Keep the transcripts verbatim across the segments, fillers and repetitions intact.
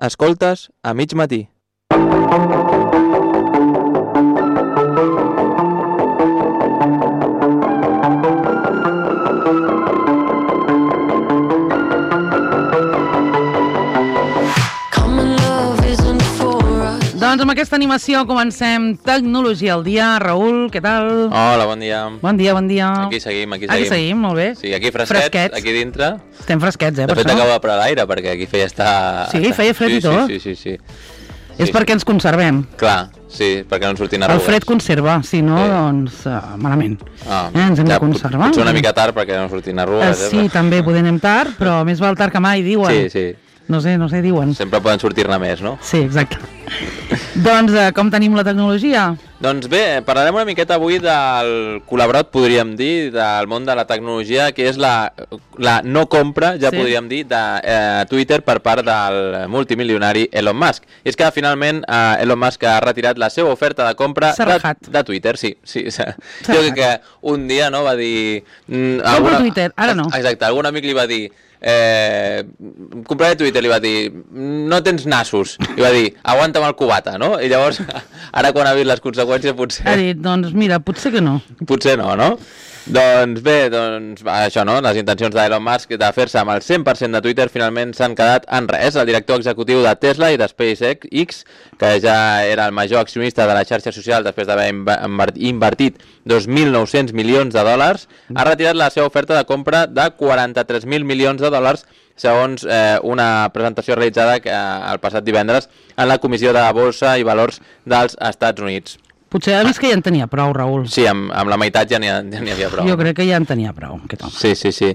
Escoltes a mig matí. Doncs amb aquesta animació comencem Tecnologia al dia. Raül, què tal? Hola, bon dia. Bon dia, bon dia. Aquí seguim, aquí seguim. Aquí seguim, molt bé. Sí, aquí fresquets, fresquets. Aquí dintre. Estem fresquets, eh, de per fet, això. acabo de parar l'aire, perquè aquí feia estar... Sí, feia fred sí, i tot. Sí, sí, sí, sí. És sí, perquè ens conservem. Clar, sí, perquè no ens surtin arrugues. El fred conserva, si no, sí. doncs uh, malament. Ah, eh, ens hem ja, de conservar. Potser una mica tard perquè no surtin arrugues. Uh, sí, eh? també podem anem tard, però més val tard que mai, diuen. Sí, sí. No sé, no sé, diuen. Sempre poden sortir-ne més, no? Sí, exacte. Doncs uh, com tenim la tecnologia? Doncs bé, parlarem una miqueta avui del col·laborat, podríem dir, del món de la tecnologia, que és la, la no compra, ja sí. podríem dir, de eh, Twitter per part del multimilionari Elon Musk. I és que finalment eh, Elon Musk ha retirat la seva oferta de compra de, de Twitter. Sí, sí. Jo crec que un dia no va dir... Mm, Compro alguna... Twitter, ara no. Exacte, algun amic li va dir... Eh, compraré Twitter, li va dir no tens nassos, li va dir aguanta'm el cubata, no? I llavors ara quan ha vist les conseqüències potser... Ha dit, doncs mira, potser que no. Potser no, no? Doncs bé, doncs això, no? Les intencions d'Elon Musk de fer-se amb el cent per cent de Twitter finalment s'han quedat en res. El director executiu de Tesla i de SpaceX, que ja era el major accionista de la xarxa social després d'haver invertit dos mil nou-cents milions de dòlars, ha retirat la seva oferta de compra de quaranta-tres mil milions de dòlars segons eh, una presentació realitzada eh, el passat divendres en la Comissió de Borsa i Valors dels Estats Units. Potser ha vist que ja en tenia prou, Raül. Sí, amb, amb la meitat ja n'hi ha, ja n'hi havia prou. Jo crec que ja en tenia prou, aquest home. Sí, sí, sí.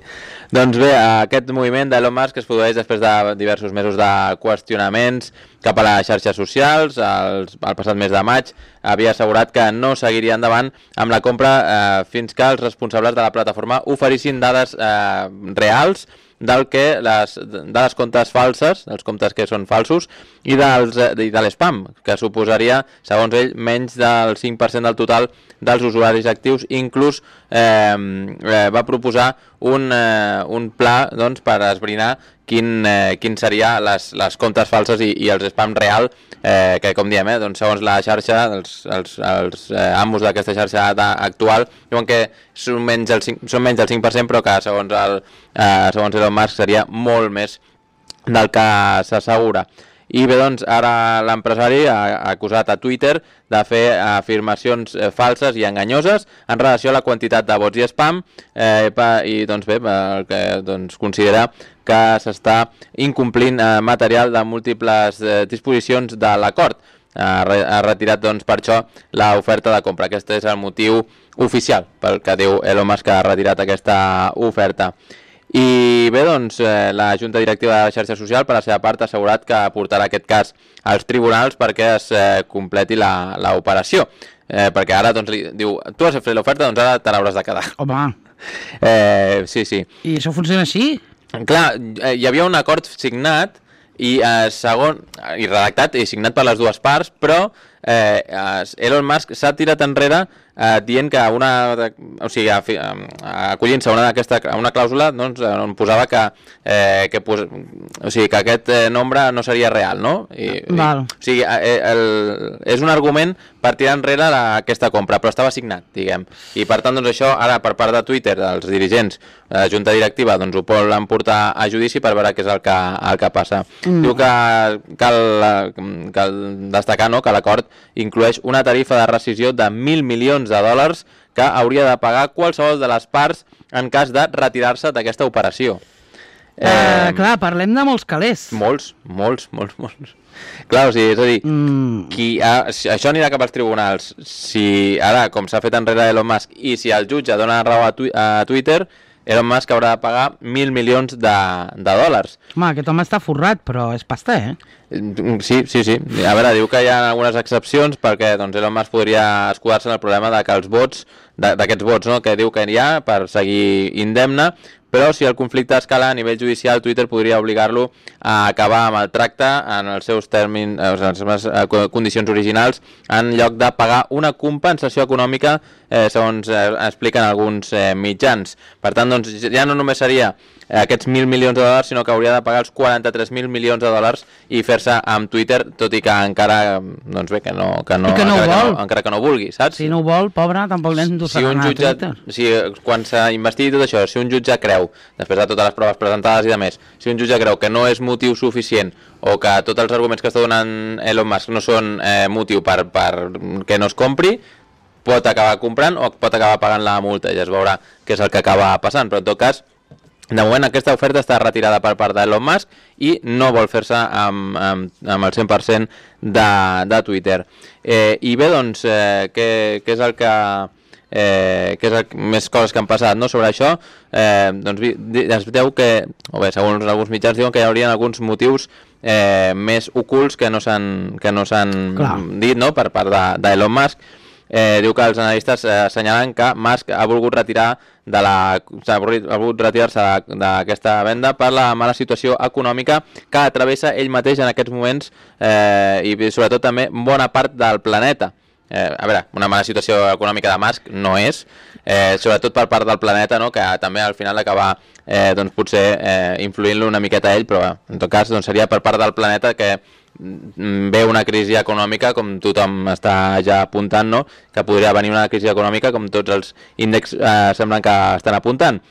Doncs bé, aquest moviment d'Elon Musk es produeix després de diversos mesos de qüestionaments cap a les xarxes socials. El, el passat mes de maig havia assegurat que no seguiria endavant amb la compra eh, fins que els responsables de la plataforma oferissin dades eh, reals del que les, de les comptes falses, dels comptes que són falsos, i, dels, i de l'espam, que suposaria, segons ell, menys del cinc per cent del total dels usuaris actius. Inclús eh, eh, va proposar un, eh, un pla doncs, per esbrinar quin, eh, quin seria les, les comptes falses i, i els spam real, eh, que com diem, eh, doncs, segons la xarxa, els, els, els eh, amos d'aquesta xarxa actual diuen que són menys del cinc, són menys del cinc per cent, però que segons, el, eh, segons Elon Musk seria molt més del que s'assegura. I bé, doncs, ara l'empresari ha acusat a Twitter de fer afirmacions eh, falses i enganyoses en relació a la quantitat de vots i spam eh, i doncs bé, que doncs, considera que s'està incomplint eh, material de múltiples eh, disposicions de l'acord. Ha, ha retirat doncs, per això l'oferta de compra. Aquest és el motiu oficial pel que diu Elon Musk, que ha retirat aquesta oferta. I bé, doncs, eh, la Junta Directiva de la xarxa social, per la seva part, ha assegurat que portarà aquest cas als tribunals perquè es eh, completi l'operació. Eh, perquè ara, doncs, li diu, tu has fet l'oferta, doncs ara te l'hauràs de quedar. Home! Eh, sí, sí. I això funciona així? Clar, eh, hi havia un acord signat i eh, segon i redactat i signat per les dues parts, però eh, Elon Musk s'ha tirat enrere eh, dient que una, o sigui, acollint-se a una, aquesta, a una clàusula doncs, on posava que, eh, que, pos, o sigui, que aquest eh, nombre no seria real, no? I, Val. I, o sigui, eh, el, és un argument per tirar enrere la, aquesta compra, però estava signat, diguem. I per tant, doncs, això ara per part de Twitter, dels dirigents, la Junta Directiva, doncs ho poden portar a judici per veure què és el que, el que passa. Mm. Diu que cal, cal destacar, no?, que l'acord inclueix una tarifa de rescissió de mil milions de dòlars que hauria de pagar qualsevol de les parts en cas de retirar-se d'aquesta operació. Eh, eh, clar, parlem de molts calés. Molts, molts, molts, molts. Clar, o sigui, és a dir, mm. qui ha, si això anirà cap als tribunals. Si ara, com s'ha fet enrere Elon Musk, i si el jutge dona raó a, twi a Twitter, Elon Musk haurà de pagar mil milions de, de dòlars. Home, aquest home està forrat, però és pasta, eh? Sí, sí, sí. A veure, diu que hi ha algunes excepcions perquè doncs, Elon Musk podria escudar-se en el problema de que els vots, d'aquests vots, no?, que diu que hi ha per seguir indemne, però si el conflicte escala a nivell judicial, Twitter podria obligar-lo a acabar amb el tracte en els seus termins, en les seves condicions originals, en lloc de pagar una compensació econòmica, eh, segons eh, expliquen alguns eh, mitjans. Per tant, doncs, ja no només seria aquests mil milions de dòlars, sinó que hauria de pagar els quaranta-tres mil milions de dòlars i fer-se amb Twitter, tot i que encara, doncs bé, que no, que no, que no encara, que no encara que no vulgui, saps? Si no ho vol, pobre, tampoc l'hem d'ho si un jutge, si, quan s'ha investit tot això, si un jutge creu, després de totes les proves presentades i de més, si un jutge creu que no és motiu suficient o que tots els arguments que està donant Elon Musk no són eh, motiu per, per que no es compri, pot acabar comprant o pot acabar pagant la multa, ja es veurà què és el que acaba passant, però en tot cas, de moment aquesta oferta està retirada per part d'Elon Musk i no vol fer-se amb, amb, amb el cent per cent de, de Twitter. Eh, I bé, doncs, eh, què, què és el que... Eh, què és el, més coses que han passat, no? Sobre això, eh, doncs es veu que, o bé, segons alguns mitjans diuen que hi haurien alguns motius eh, més ocults que no s'han que no s'han dit, no?, per part d'Elon Musk. Eh, diu que els analistes eh, assenyalen que Musk ha volgut retirar de la s'ha volgut retirar-se d'aquesta venda per la mala situació econòmica que travessa ell mateix en aquests moments eh, i sobretot també bona part del planeta. Eh, a veure, una mala situació econòmica de Musk no és, eh, sobretot per part del planeta, no?, que també al final acaba eh, doncs potser eh, influint-lo una miqueta a ell, però en tot cas doncs, seria per part del planeta que ve una crisi econòmica, com tothom està ja apuntant, no?, que podria venir una crisi econòmica com tots els índexs eh, semblen que estan apuntant.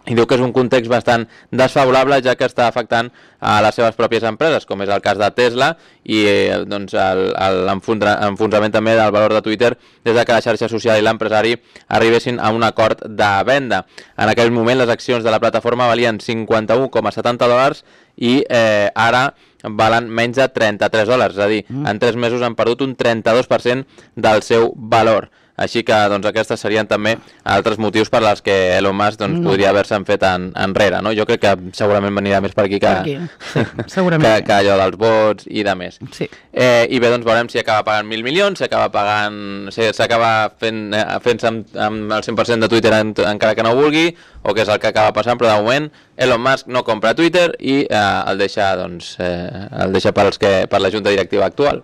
I diu que és un context bastant desfavorable ja que està afectant a les seves pròpies empreses, com és el cas de Tesla i eh, doncs l'enfonsament també del valor de Twitter des de que la xarxa social i l'empresari arribessin a un acord de venda. En aquell moment les accions de la plataforma valien cinquanta-un coma setanta dòlars i eh, ara valen menys de trenta-tres dòlars, és a dir, mm. en tres mesos han perdut un trenta-dos per cent del seu valor. Així que doncs, aquestes serien també altres motius per als que Elon Musk doncs, no. podria haver-se'n fet en, enrere. No? Jo crec que segurament venirà més per aquí que, per aquí. Sí, segurament. que, que allò dels vots i de més. Sí. Eh, I bé, doncs veurem si acaba pagant mil milions, si acaba pagant, si s'acaba fent, fent-se amb, amb el cent per cent de Twitter en, encara que no vulgui, o què és el que acaba passant, però de moment Elon Musk no compra Twitter i eh, el deixa, doncs, eh, el deixa per, als que, per la junta directiva actual.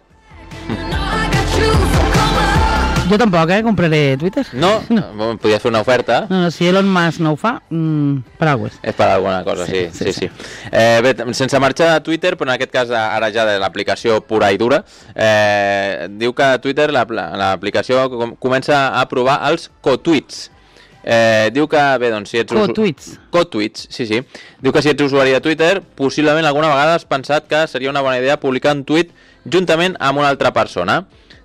Jo tampoc, eh, compraré Twitter. No? no. Podries fer una oferta. No, no, si Elon Musk no ho fa, mmm, per alguna cosa. És per alguna cosa, sí. sí, sí, sí. sí. Eh, bé, sense marxar de Twitter, però en aquest cas ara ja de l'aplicació pura i dura, eh, diu que Twitter, l'aplicació, comença a provar els co-tweets. Eh, diu que, bé, doncs, si ets... Co-tweets. Co-tweets, sí, sí. Diu que si ets usuari de Twitter, possiblement alguna vegada has pensat que seria una bona idea publicar un tuit juntament amb una altra persona.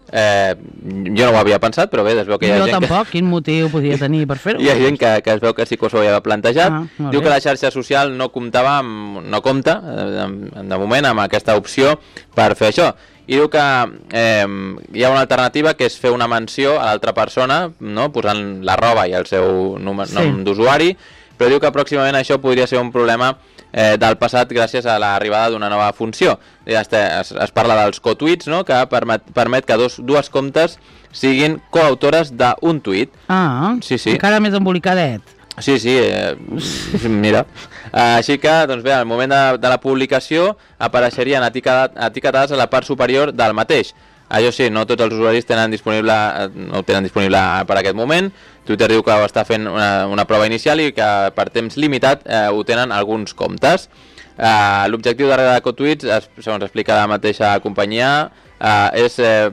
Eh, jo no ho havia pensat, però bé, es veu que hi ha jo gent tampoc, que... quin motiu podria tenir per fer-ho? Hi ha gent que, que es veu que sí que s'ho havia plantejat. Ah, diu que la xarxa social no comptava amb, no compta, de, de moment, amb aquesta opció per fer això. I diu que eh, hi ha una alternativa que és fer una menció a l'altra persona, no?, posant la roba i el seu número, sí. nom d'usuari, però diu que pròximament això podria ser un problema eh, del passat gràcies a l'arribada d'una nova funció. Es, es, es parla dels co-tweets, no?, que permet, permet que dos, dues comptes siguin coautores d'un tuit. Ah, sí, sí. Encara més embolicadet. Sí, sí, eh, mira. Així que, doncs bé, al moment de, de la publicació apareixerien etiquetades a la part superior del mateix. Això sí, no tots els usuaris tenen disponible, no ho tenen disponible per aquest moment. Twitter diu que ho està fent una, una prova inicial i que per temps limitat eh, ho tenen alguns comptes. Eh, L'objectiu darrere de CoTweets, segons explica la mateixa companyia, eh, és eh,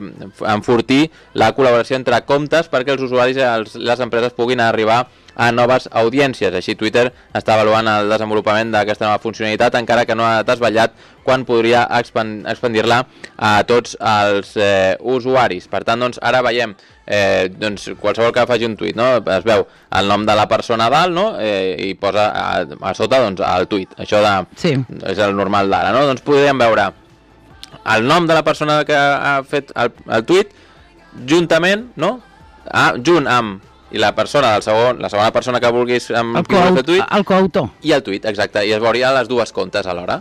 enfortir la col·laboració entre comptes perquè els usuaris i els, les empreses puguin arribar a noves audiències. Així Twitter està avaluant el desenvolupament d'aquesta nova funcionalitat, encara que no ha desvetllat quan podria expandir-la a tots els eh, usuaris. Per tant, doncs, ara veiem eh, doncs, qualsevol que faci un tuit, no? Es veu el nom de la persona dalt, no? eh, i posa a, a sota doncs, el tuit. Això de, sí. és el normal d'ara, no? Doncs podríem veure el nom de la persona que ha fet el, el tuit juntament, no? Ah, junt amb i la persona del segon, la segona persona que vulguis amb el, co tuit, el coautor i el tuit, exacte, i es veuria les dues comptes alhora.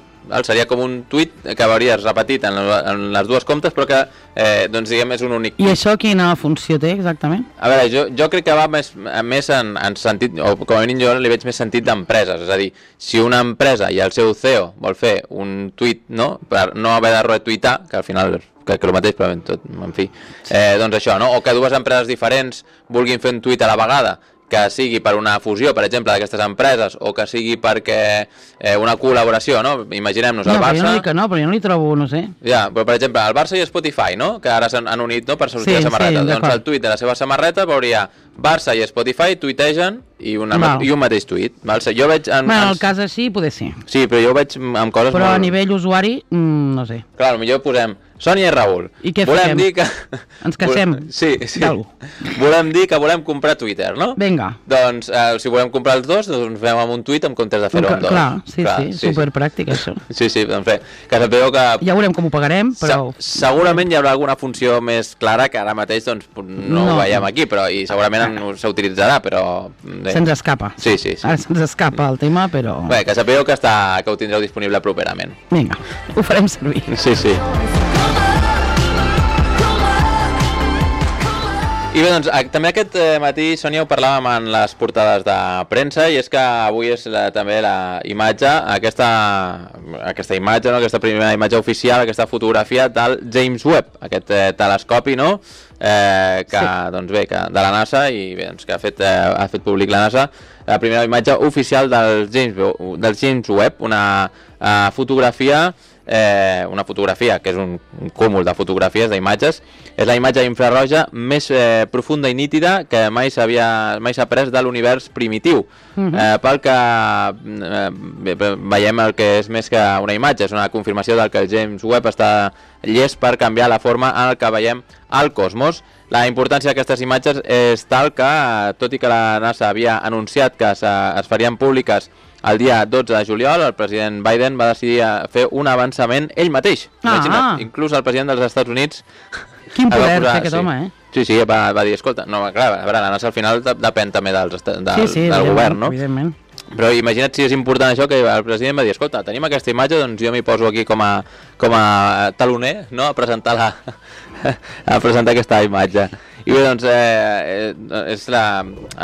Seria com un tuit que veuries repetit en, en les dues comptes, però que eh, doncs diguem és un únic tuit. I això quina funció té exactament? A veure, jo, jo crec que va més, més en, en sentit, o com a mínim jo li veig més sentit d'empreses, és a dir, si una empresa i el seu C E O vol fer un tuit, no?, per no haver de retuitar, que al final que, que el mateix, però en tot, en fi, eh, doncs això, no? O que dues empreses diferents vulguin fer un tuit a la vegada que sigui per una fusió, per exemple, d'aquestes empreses, o que sigui perquè eh, una col·laboració, no? Imaginem-nos el no, Barça... No, però jo no dic que no, però jo no li trobo, no sé... Ja, però per exemple, el Barça i Spotify, no? Que ara s'han unit, no?, per sortir sí, la samarreta. Sí, doncs el tuit de la seva samarreta veuria Barça i Spotify tuitegen i, una, i un mateix tuit. Val? Jo veig... En, bueno, en el cas així, poder ser. Sí, però jo ho veig amb coses però molt... a nivell usuari, mm, no sé. Clar, potser posem Sònia i Raül. I què volem fem? Dir que... Ens queixem? Sí, sí. Volem dir que volem comprar Twitter, no? Vinga. Doncs, eh, si volem comprar els dos, doncs fem amb un tuit en comptes de fer-ho amb dos. Clar, sí, clar, sí, sí, superpràctic, sí. Això. Sí, sí, doncs bé, que sapigueu que... Ja veurem com ho pagarem, però... Se segurament hi haurà alguna funció més clara que ara mateix doncs, no, no. ho veiem aquí, però i segurament s'utilitzarà, però... Se'ns escapa. Sí, sí, sí. Ara se'ns escapa el tema, però... Bé, que sapigueu que, està, que ho tindreu disponible properament. Vinga, ho farem servir. Sí, sí. I bé, doncs, també aquest matí, Sònia, ho parlàvem en les portades de premsa, i és que avui és la, també la imatge, aquesta, aquesta imatge, no? Aquesta primera imatge oficial, aquesta fotografia del James Webb, aquest eh, telescopi, no?, eh, que, sí. doncs bé, que, de la NASA, i bé, doncs, que ha fet, eh, ha fet públic la NASA, la primera imatge oficial del James, del James Webb, una eh, fotografia... Eh, una fotografia, que és un, un cúmul de fotografies, d'imatges, és la imatge infrarroja més eh, profunda i nítida que mai s'havia mai s'ha pres de l'univers primitiu. Uh-huh. eh, pel que eh, veiem el que és més que una imatge, és una confirmació del que el James Webb està llest per canviar la forma en què veiem el cosmos. La importància d'aquestes imatges és tal que, tot i que la NASA havia anunciat que es, es farien públiques el dia dotze de juliol, el president Biden va decidir fer un avançament ell mateix. Ah, Imagina't, ah. inclús el president dels Estats Units... Quin poder té aquest sí. home, eh? Sí, sí, va, va dir, escolta, no, clar, a veure, la NASA al final depèn també dels, del, sí, sí, del govern, no? Evidentment. Però imagina't si és important això, que el president va dir, escolta, tenim aquesta imatge, doncs jo m'hi poso aquí com a, com a taloner, no?, a presentar, la, a presentar aquesta imatge. I bé, doncs, eh, és la,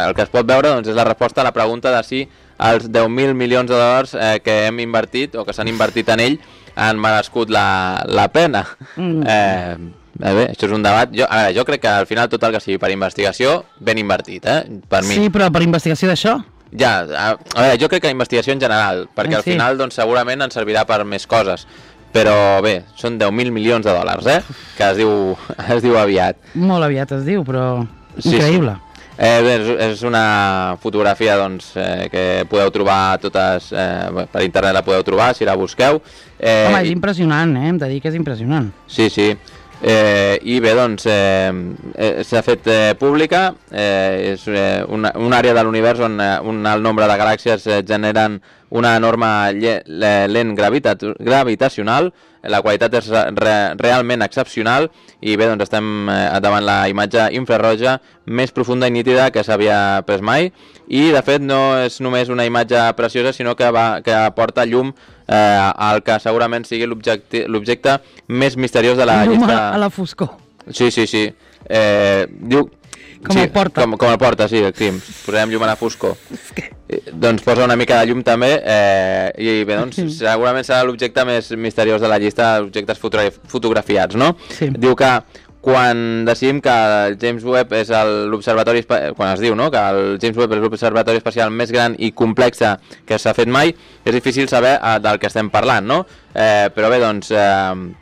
el que es pot veure doncs, és la resposta a la pregunta de si els deu mil milions de dòlars eh, que hem invertit, o que s'han invertit en ell, han merescut la, la pena. Mm. Eh, bé, això és un debat. Jo, a veure, jo crec que al final tot el que sigui per investigació, ben invertit, eh, per mi. Sí, però per investigació d'això? Ja, a, a veure, jo crec que la investigació en general, perquè eh, sí. al final doncs, segurament ens servirà per més coses. Però bé, són deu mil milions de dòlars, eh? Que es diu, es diu aviat. Molt aviat es diu, però increïble. Sí, sí. Eh, bé, és una fotografia doncs, eh, que podeu trobar totes, eh, per internet la podeu trobar, si la busqueu. Eh, Home, és i... impressionant, eh? Hem de dir que és impressionant. Sí, sí. Eh, I bé, doncs, eh, eh, s'ha fet eh, pública, eh, és eh, una, una àrea de l'univers on eh, un alt nombre de galàxies eh, generen una enorme lent gravita gravitacional, la qualitat és re realment excepcional, i bé, doncs estem eh, davant la imatge infrarroja més profunda i nítida que s'havia pres mai, i de fet no és només una imatge preciosa, sinó que, va, que aporta llum eh, al que segurament sigui l'objecte més misteriós de la llum llista. Llum a la foscor. Sí, sí, sí. Eh, diu... Com sí, el porta. Com, com el porta, sí, el crim. Posarem llum a la foscor. Que... Doncs posa una mica de llum també, eh, i bé, doncs segurament serà l'objecte més misteriós de la llista d'objectes fotografiats, no? Sí. Diu que quan decidim que el James Webb és l'observatori, quan es diu, no?, que el James Webb és l'observatori espacial més gran i complex que s'ha fet mai, és difícil saber eh, del que estem parlant, no? Eh, però bé, doncs... Eh,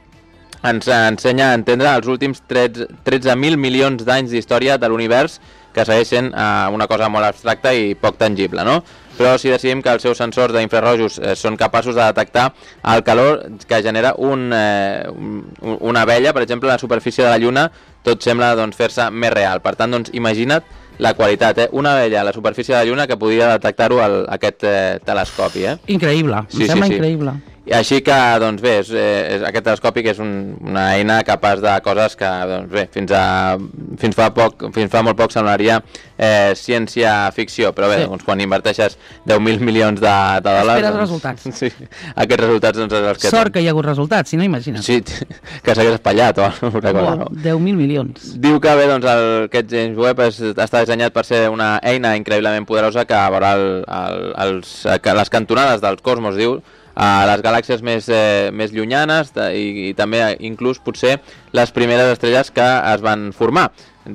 ens ensenya a entendre els últims tretze mil milions d'anys d'història de l'univers, que segueix sent eh, una cosa molt abstracta i poc tangible, no? Però si decidim que els seus sensors d'infrarrojos eh, són capaços de detectar el calor que genera un, eh, un, una abella, per exemple, a la superfície de la Lluna, tot sembla doncs, fer-se més real. Per tant, doncs, imagina't la qualitat, eh? Una abella a la superfície de la Lluna que podria detectar-ho aquest eh, telescopi, eh? Increïble, sí, em sembla sí, sí. increïble. I així que, doncs bé, és, és, aquest telescopi que és un, una eina capaç de coses que, doncs bé, fins, a, fins, fa, poc, fins fa molt poc semblaria eh, ciència-ficció, però bé, sí. doncs, quan inverteixes deu mil milions de, de dòlars... Esperes doncs, resultats. Sí, aquests resultats, doncs, és els que... Sort que hi ha hagut resultats, si no, imagina't. Sí, que s'hagués espatllat o alguna cosa, no? deu mil milions. Diu que bé, doncs, el, aquest James Webb és, està dissenyat per ser una eina increïblement poderosa que veurà el, el, els, les cantonades dels cosmos, diu, a les galàxies més, eh, més llunyanes de, i, i també inclús potser les primeres estrelles que es van formar.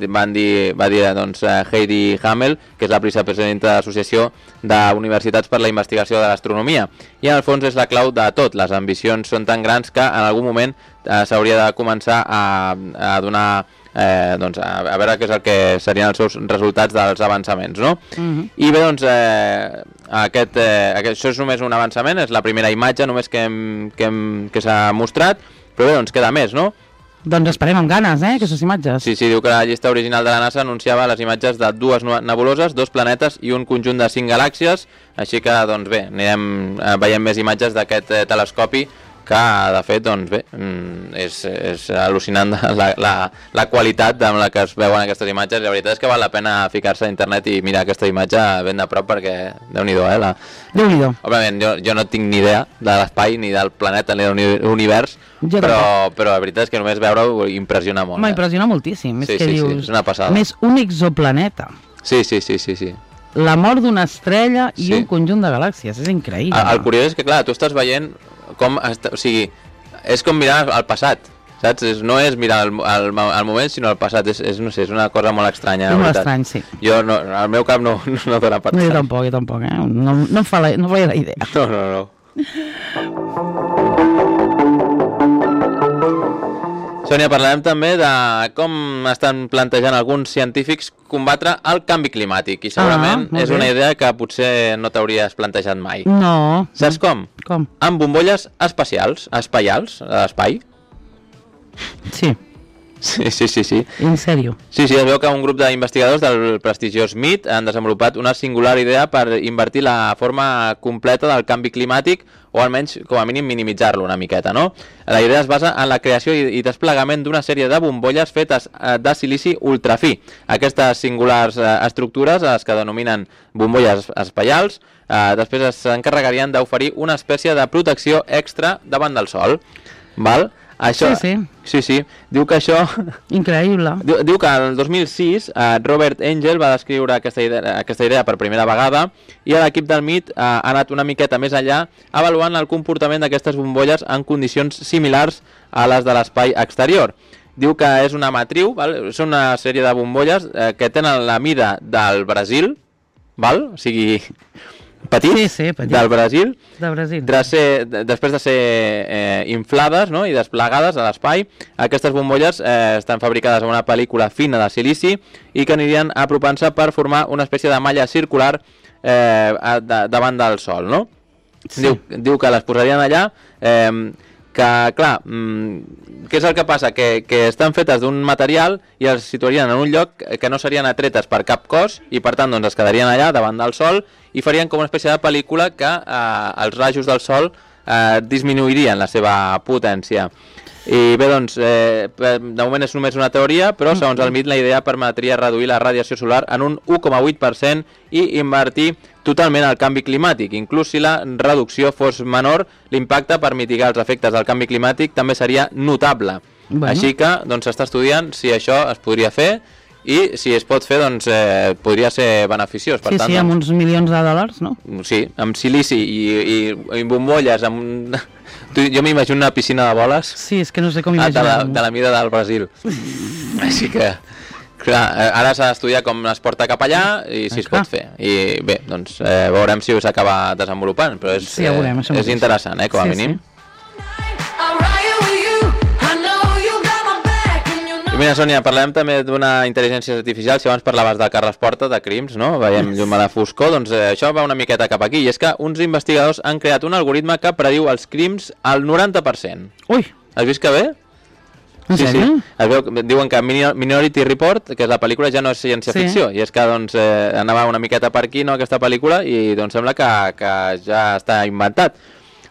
van dir, va dir doncs, Heidi Hamel, que és la vicepresidenta de l'Associació d'Universitats per la Investigació de l'Astronomia. I en el fons és la clau de tot. Les ambicions són tan grans que en algun moment eh, s'hauria de començar a, a donar... Eh, doncs a, a veure què és el que serien els seus resultats dels avançaments, no? Uh-huh. I bé, doncs, eh, aquest, eh, aquest, això és només un avançament, és la primera imatge només que, hem, que, hem, que s'ha mostrat, però bé, doncs queda més, no? Doncs esperem amb ganes, eh, aquestes imatges. Sí, sí, diu que la llista original de la NASA anunciava les imatges de dues nebuloses, dos planetes i un conjunt de cinc galàxies, així que, doncs bé, anirem eh, veient més imatges d'aquest eh, telescopi, que de fet doncs bé, és, és al·lucinant la, la, la qualitat amb la que es veuen aquestes imatges. La veritat és que val la pena ficar-se a internet i mirar aquesta imatge ben de prop perquè Déu-n'hi-do, eh? La... Déu-n'hi-do. Òbviament jo, jo no tinc ni idea de l'espai, ni del planeta, ni de l'univers, però, però la veritat és que només veure-ho impressiona molt. M'impressiona eh? moltíssim. Sí, és que sí, dius, sí, és una passada. Més un exoplaneta. Sí, sí, sí, sí, sí. La mort d'una estrella i sí. un conjunt de galàxies, és increïble. El, el curiós és que, clar, tu estàs veient com, o sigui, és com mirar al passat, saps? És, no és mirar el, el, el moment, sinó el passat. És, és, no sé, és una cosa molt estranya. És molt estrany, sí. Jo, no, al meu cap no, no, no dona per tant. No, jo tampoc, jo tampoc, eh? No, no em fa la, no fa la idea. No, no, no. Sònia, parlarem també de com estan plantejant alguns científics combatre el canvi climàtic i segurament ah, és una idea que potser no t'hauries plantejat mai. No. Saps com? Com? Amb bombolles espacials, espaials, a l'espai. Sí. Sí, sí, sí, sí. En sèrio? Sí, sí, es veu que un grup d'investigadors del prestigiós M I T han desenvolupat una singular idea per invertir la forma completa del canvi climàtic o almenys, com a mínim, minimitzar-lo una miqueta, no? La idea es basa en la creació i desplegament d'una sèrie de bombolles fetes de silici ultrafí. Aquestes singulars estructures, les que denominen bombolles espaials, després s'encarregarien d'oferir una espècie de protecció extra davant del sol. Val? Això, sí, sí. Sí, sí. Diu que això... Increïble. Diu, diu que el dos mil sis eh, Robert Engel va descriure aquesta idea, aquesta idea per primera vegada i l'equip del M I T eh, ha anat una miqueta més enllà avaluant el comportament d'aquestes bombolles en condicions similars a les de l'espai exterior. Diu que és una matriu, val? És una sèrie de bombolles eh, que tenen la mida del Brasil, val? O sigui... petit, sí, sí, petit, del Brasil, de Brasil. De ser, de, després de ser eh, inflades, no?, i desplegades a l'espai. Aquestes bombolles eh, estan fabricades amb una pel·lícula fina de silici i que anirien apropant-se per formar una espècie de malla circular eh, de, davant del sol, no? Sí. Diu, diu que les posarien allà, eh, que, clar, mmm, què és el que passa? Que, que estan fetes d'un material i els situarien en un lloc que no serien atretes per cap cos i, per tant, doncs, es quedarien allà davant del sol i farien com una espècie de pel·lícula que eh, els rajos del sol eh, disminuirien la seva potència. I bé, doncs, eh, de moment és només una teoria, però segons el M I T la idea permetria reduir la radiació solar en un u coma vuit per cent i invertir totalment el canvi climàtic. Inclús si la reducció fos menor, l'impacte per mitigar els efectes del canvi climàtic també seria notable. Bueno. Així que doncs, s'està estudiant si això es podria fer i si es pot fer, doncs, eh, podria ser beneficiós. Per sí, tant, sí, amb doncs, uns milions de dòlars, no? Sí, amb silici i, i, i bombolles, amb... Jo m'imagino una piscina de boles. Sí, és que no sé com imaginar. De la, de la mida del Brasil. Així que, clar, ara s'ha d'estudiar com es porta cap allà i si ah, es pot fer. I bé, doncs eh, veurem si s'acaba desenvolupant, però és, sí, ja veurem, eh, és interessant, eh, com a sí, mínim. Sí. I mira, Sònia, parlem també d'una intel·ligència artificial. Si abans parlaves de Carles Porta, de crims, no? Veiem llum a la foscor, doncs eh, això va una miqueta cap aquí. I és que uns investigadors han creat un algoritme que prediu els crims al noranta per cent. Ui! Has vist que bé? Sí, sí. Es veu, diuen que Minority Report, que és la pel·lícula, ja no és ciència-ficció. Sí. I és que doncs, eh, anava una miqueta per aquí, no, aquesta pel·lícula, i doncs sembla que, que ja està inventat.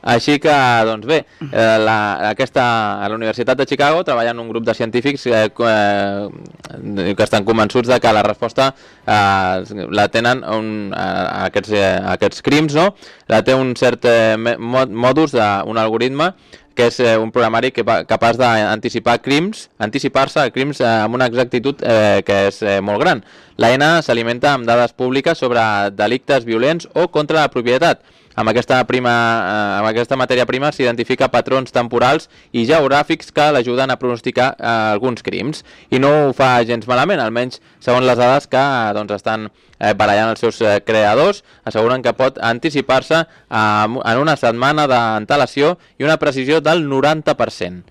Així que, doncs bé, eh, la, aquesta, a la Universitat de Chicago treballen un grup de científics eh, eh, que estan convençuts de que la resposta eh, la tenen un, a, aquests, eh, a aquests crims, no? La té un cert eh, modus d'un algoritme que és eh, un programari que, capaç d'anticipar crims, anticipar-se a crims eh, amb una exactitud eh, que és eh, molt gran. L'A N s'alimenta amb dades públiques sobre delictes violents o contra la propietat. amb aquesta, prima, eh, amb aquesta matèria prima s'identifica patrons temporals i geogràfics que l'ajuden a pronosticar eh, alguns crims. I no ho fa gens malament, almenys segons les dades que doncs, estan eh, barallant els seus eh, creadors, asseguren que pot anticipar-se eh, en una setmana d'antelació i una precisió del noranta per cent.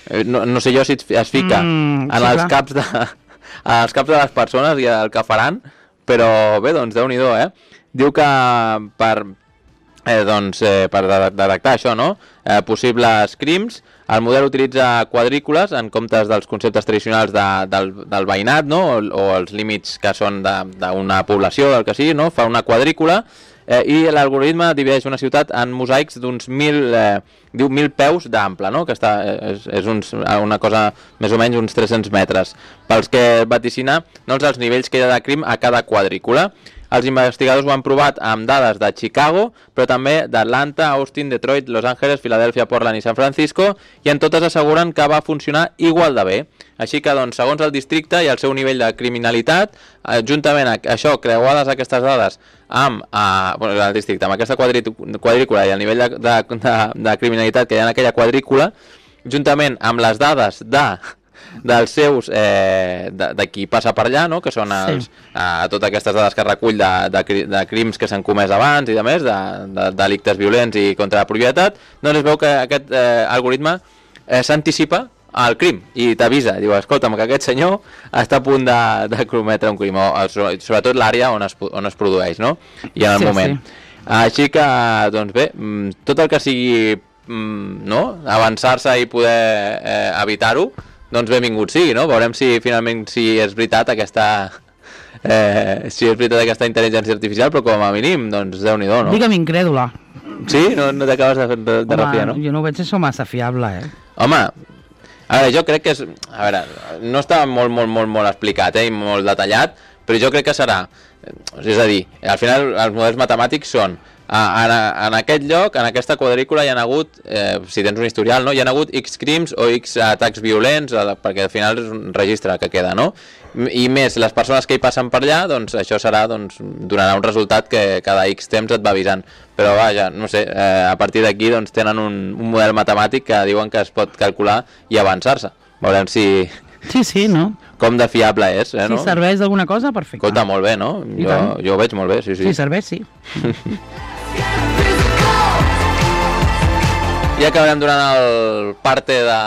Eh, no, no sé jo si es fica mm, en, sí, els caps de, en els caps de les persones i el que faran, però bé, doncs Déu-n'hi-do, eh? Diu que per... Eh, doncs, eh, per detectar això, no? Eh, possibles crims, el model utilitza quadrícules en comptes dels conceptes tradicionals de, del, del veïnat, no? O, o els límits que són d'una població, del que sigui, no? Fa una quadrícula eh, i l'algoritme divideix una ciutat en mosaics d'uns mil, eh, diu mil peus d'ample, no? Que està, és, és uns, una cosa més o menys uns tres-cents metres. Pels que vaticina doncs, els nivells que hi ha de crim a cada quadrícula. Els investigadors ho han provat amb dades de Chicago, però també d'Atlanta, Austin, Detroit, Los Angeles, Filadèlfia, Portland i San Francisco, i en totes asseguren que va funcionar igual de bé. Així que, doncs, segons el districte i el seu nivell de criminalitat, eh, juntament a això, creuades aquestes dades amb, eh, bueno, el districte, amb aquesta quadrícula i el nivell de, de, de, de criminalitat que hi ha en aquella quadrícula, juntament amb les dades de... dels seus, eh, de, de qui passa per allà, no? Que són els, sí. eh, totes aquestes dades que recull de, de, de crims que s'han comès abans i de més, de, de delictes violents i contra la propietat, doncs es veu que aquest eh, algoritme eh, s'anticipa al crim i t'avisa, diu, escolta'm, que aquest senyor està a punt de, de cometre un crim, o, sobretot l'àrea on, es, on es produeix, no? I en el sí, moment. Sí. Així que, doncs bé, tot el que sigui no? Avançar-se i poder eh, evitar-ho, doncs benvingut sigui, no? Veurem si finalment si és veritat aquesta eh, si és veritat aquesta intel·ligència artificial, però com a mínim, doncs Déu-n'hi-do, no? Digue'm incrèdula. Sí? No, no t'acabes de, de, de refiar, no? Jo no ho veig això massa fiable, eh? Home, a veure, jo crec que és... A veure, no està molt, molt, molt, molt explicat, eh? I molt detallat, però jo crec que serà... És a dir, al final els models matemàtics són... En, en aquest lloc, en aquesta quadrícula hi ha hagut, eh, si tens un historial, no? Hi ha hagut X crims o X atacs violents, perquè al final és un registre que queda, no? I més, les persones que hi passen per allà, doncs això serà, doncs, donarà un resultat que cada X temps et va avisant. Però vaja, no sé, eh, a partir d'aquí doncs, tenen un, un model matemàtic que diuen que es pot calcular i avançar-se. Veurem si... Sí, sí, no? Com de fiable és, eh, no? Si serveix d'alguna cosa, perfecte. Escolta, molt bé, no? Jo, jo ho veig molt bé, sí, sí. Si serveix, sí. I acabarem durant el parte de,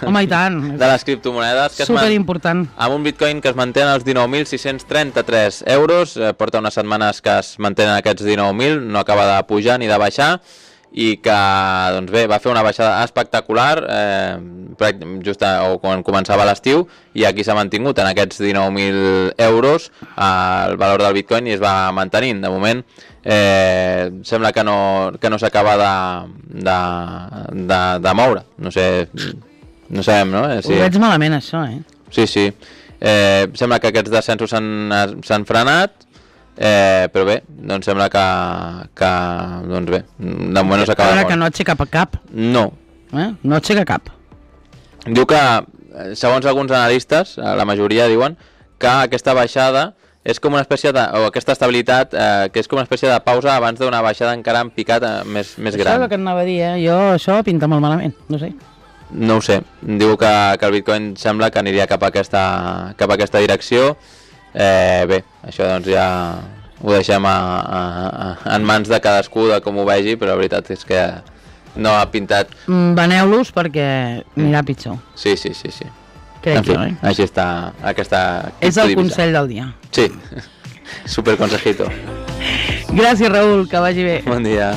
Home, i tant. de les criptomonedes. Que superimportant. Amb un bitcoin que es manté en els dinou mil sis-cents trenta-tres euros. Eh, porta unes setmanes que es mantenen aquests dinou mil, no acaba de pujar ni de baixar. I que, doncs bé, va fer una baixada espectacular eh, just a, o quan començava l'estiu, i aquí s'ha mantingut en aquests dinou mil euros eh, el valor del bitcoin i es va mantenint. De moment eh, sembla que no, que no s'acaba de, de, de, de moure. No sé, no sabem, no? Eh, si... Ho veig malament, això, eh? Sí, sí. Eh, sembla que aquests descensos s'han frenat. Eh, però bé, doncs sembla que, que doncs bé, de moment no s'acaba de moure. Que no aixeca cap? No. Eh? No aixeca cap. Diu que, segons alguns analistes, la majoria diuen que aquesta baixada és com una espècie de, o aquesta estabilitat, eh, que és com una espècie de pausa abans d'una baixada encara en picat eh, més, més gran. Això és el que anava a dir, eh? Jo això pinta molt malament, no sé. No ho sé, diu que, que el bitcoin sembla que aniria cap a aquesta, cap a aquesta direcció. Eh, bé, això doncs ja ho deixem a, a, a, en mans de cadascú de com ho vegi, però la veritat és que no ha pintat... Mm, veneu-los perquè anirà pitjor. Sí, sí, sí, sí. Crec en fi, jo, eh? Així està aquesta... És el consell del dia. Sí, super consejito. Gràcies, Raül, que vagi bé. Bon dia.